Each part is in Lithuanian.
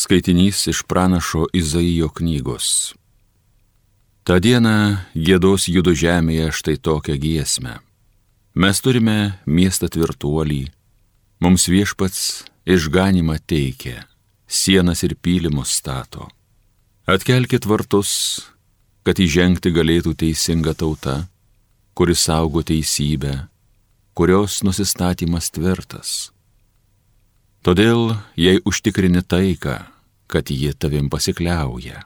Skaitinys iš pranašo Izaijo knygos. Ta diena giedos Judo žemėje štai tokią giesmę. Mes turime miestą tvirtuolį, mums Viešpats išganymą teikia, sienas ir pylimus stato. Atkelkit vartus, kad įžengti galėtų teisinga tauta, kuri saugo teisybę, kurios nusistatymas tvirtas. Todėl, jei užtikrini taiką, kad ji tavim pasikliauja,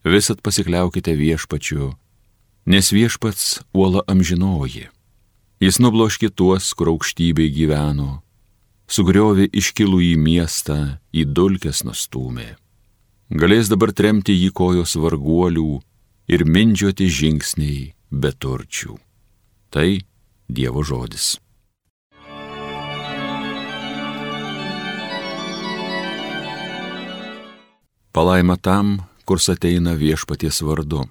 visat pasikliaukite Viešpačiu, nes Viešpats uola amžinoji. Jis nubloškė tuos, kur aukštybėj gyveno, sugriovė iškilų į miestą, į dulkes nustūmė. Galės dabar tremti jį kojos varguolių ir mindžioti žingsniai beturčių. Tai Dievo žodis. Palaima tam, kurs ateina Viešpaties vardu.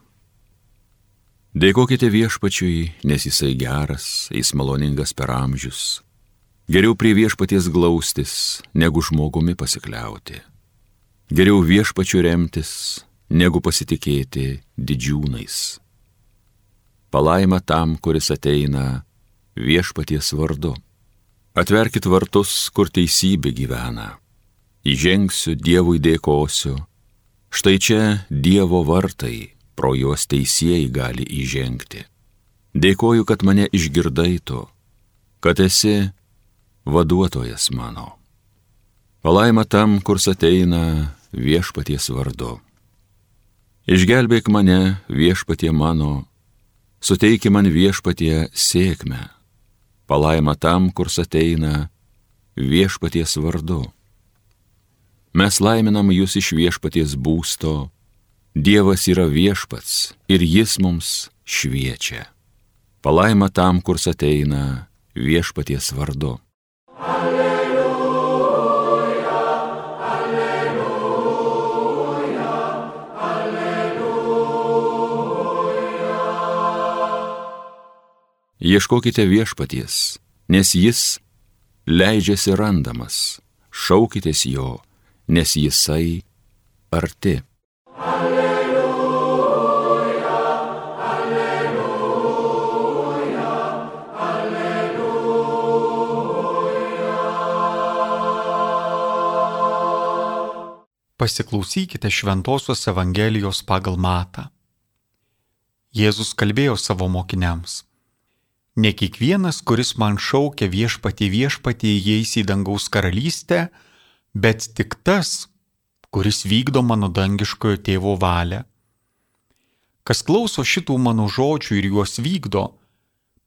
Dėkokite Viešpačiui, nes jisai geras, jis maloningas per amžius. Geriau prie Viešpaties glaustis, negu žmogumi pasikliauti. Geriau Viešpačiu remtis, negu pasitikėti didžiūnais. Palaima tam, kuris ateina Viešpaties vardu. Atverkit vartus, kur teisybė gyvena. Įžengsiu, Dievui dėkosiu. Štai čia Dievo vartai, pro juos teisieji gali įžengti. Dėkoju, kad mane išgirdai tu, kad esi vaduotojas mano. Palaima tam, kurs ateina Viešpaties vardu. Išgelbėk mane, Viešpatie mano, suteiki man Viešpatie sėkmę. Palaima tam, kurs ateina Viešpaties vardu. Mes laiminam jūs iš Viešpaties būsto, Dievas yra Viešpats ir jis mums šviečia. Palaima tam, kurs ateina Viešpaties vardu. Alleluja, alleluja, alleluja. Ieškokite Viešpaties, nes jis leidžiasi randamas, šaukitės jo, nes jisai arti. Alleluja, alleluja, alleluja. Pasiklausykite Šventosios Evangelijos pagal Matą. Jėzus kalbėjo savo mokiniams: Ne kiekvienas, kuris man šaukia Viešpatie, Viešpatie, įeis į dangaus karalystę, bet tik tas, kuris vykdo mano dangiškojo tėvo valią. Kas klauso šitų mano žodžių ir juos vykdo,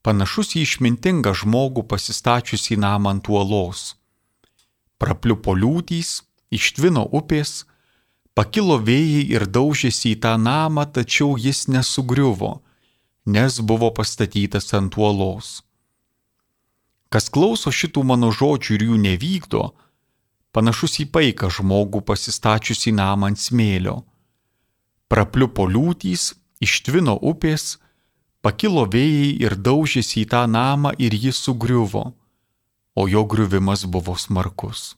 panašus į išmintingą žmogų pasistačiusį namą ant uolos. Prapliupo liūtys, ištvino upės, pakilo vėjai ir daužėsi į tą namą, tačiau jis nesugriuvo, nes buvo pastatytas ant uolos. Kas klauso šitų mano žodžių ir jų nevykdo, panašus į paiką žmogų pasistačiusį namą ant smėlio. Prapliupo liūtys, ištvino upės, pakilo vėjai ir daužėsi į tą namą ir jis sugriuvo, o jo griuvimas buvo smarkus.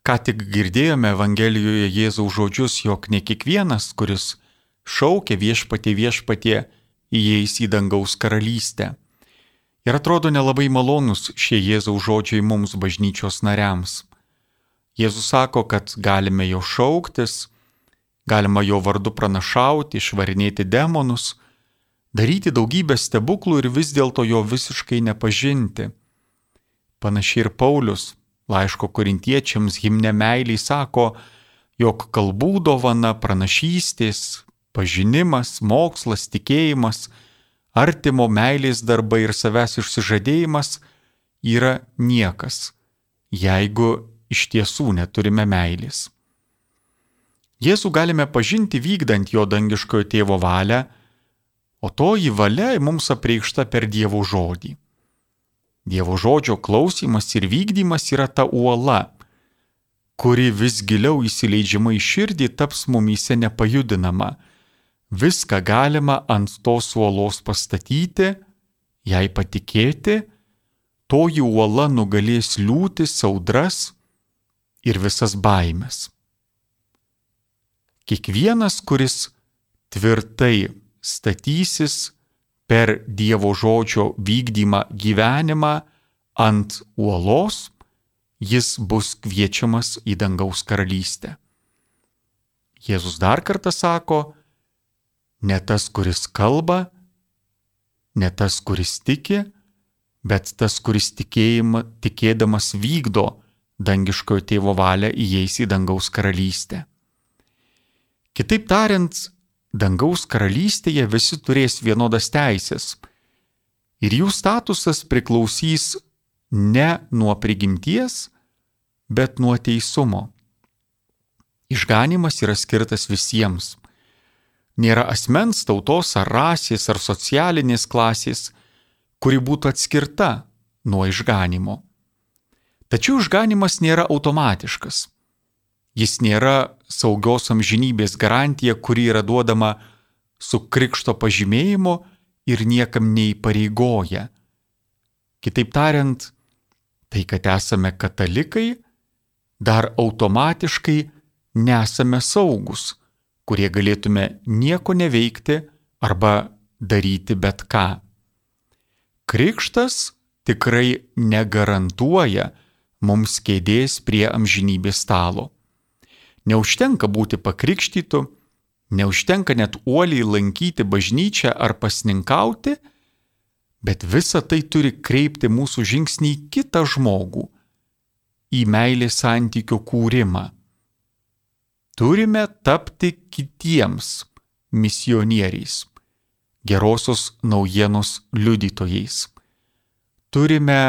Ką tik girdėjome Evangelijoje Jėzaus žodžius, jog ne kiekvienas, kuris šaukia Viešpatie, Viešpatie, įeis į dangaus karalystę. Ir atrodo nelabai malonus šie Jėzaus žodžiai mums bažnyčios nariams. Jėzus sako, kad galime jo šauktis, galima jo vardu pranašauti, išvarinėti demonus, daryti daugybę stebuklų ir vis dėlto jo visiškai nepažinti. Panašiai ir Paulius laiško korintiečiams himne meiliai sako, jog kalbų dovana, pranašystės, pažinimas, mokslas, tikėjimas, artimo meilės darbai ir savęs išsižadėjimas yra niekas, jeigu iš tiesų neturime meilės. Jėzų galime pažinti vykdant jo dangiškojo tėvo valią, o toji valia mums apreikšta per Dievo žodį. Dievo žodžio klausymas ir vykdymas yra ta uola, kuri vis giliau įsileidžiama į širdį taps mumyse nepajudinama. Viską galima ant tos uolos pastatyti, jei patikėti, toji uola nugalės liūtis, audras ir visas baimės. Kiekvienas, kuris tvirtai statysis per Dievo žodžio vykdymą gyvenimą ant uolos, jis bus kviečiamas į dangaus karalystę. Jėzus dar kartą sako, ne tas, kuris kalba, ne tas, kuris tiki, bet tas, kuris tikėdamas vykdo dangiškojo tėvo valią, įeis į dangaus karalystę. Kitaip tariant, dangaus karalystėje visi turės vienodas teisės ir jų statusas priklausys ne nuo prigimties, bet nuo teisumo. Išganymas yra skirtas visiems. Nėra asmens, tautos ar rasės ar socialinės klasės, kuri būtų atskirta nuo išganymo. Tačiau išganymas nėra automatiškas. Jis nėra saugios amžinybės garantija, kuri yra duodama su krikšto pažymėjimu ir niekam neįpareigoja. Kitaip tariant, tai, kad esame katalikai, dar automatiškai nesame saugus, kurie galėtume nieko neveikti arba daryti bet ką. Krikštas tikrai negarantuoja mums kėdės prie amžinybės stalo. Neužtenka būti pakrikštytu, neužtenka net uoliai lankyti bažnyčią ar pasninkauti, bet visa tai turi kreipti mūsų žingsnį į kitą žmogų, į meilės santykio kūrimą. Turime tapti kitiems misionieriais, gerosios naujienos liudytojais. Turime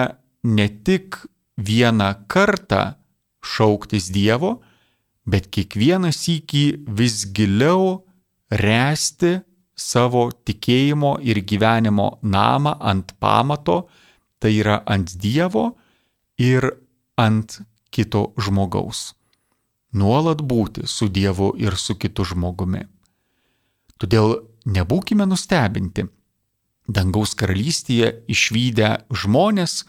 ne tik vieną kartą šauktis Dievo, bet kiekvieną sykį vis giliau ręsti savo tikėjimo ir gyvenimo namą ant pamato, tai yra ant Dievo ir ant kito žmogaus. Nuolat būti su Dievu ir su kitu žmogumi. Todėl nebūkime nustebinti dangaus karalystėje išvydę žmonės,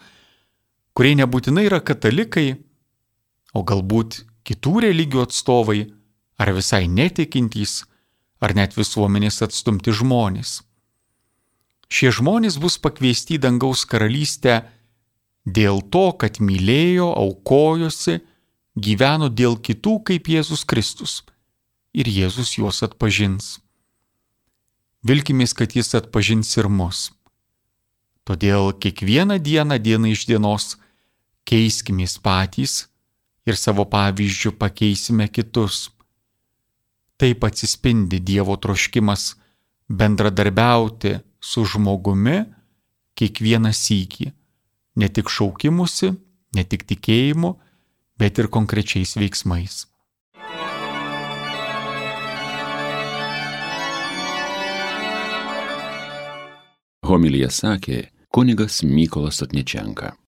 kurie nebūtinai yra katalikai, o galbūt kitų religijų atstovai, ar visai netikintys, ar net visuomenės atstumti žmonės. Šie žmonės bus pakviesti į dangaus karalystę dėl to, kad mylėjo, aukojosi, gyveno dėl kitų kaip Jėzus Kristus, ir Jėzus juos atpažins. Vilkimės, kad jis atpažins ir mus. Todėl kiekvieną dieną, diena iš dienos, keiskimės patys ir savo pavyzdžių pakeisime kitus. Taip atsispindi Dievo troškimas bendradarbiauti su žmogumi kiekvieną sykį, ne tik šaukimusi, ne tik tikėjimu, bet ir konkrečiais veiksmais. Homiliją sakė kunigas Mykolas Sotničenka.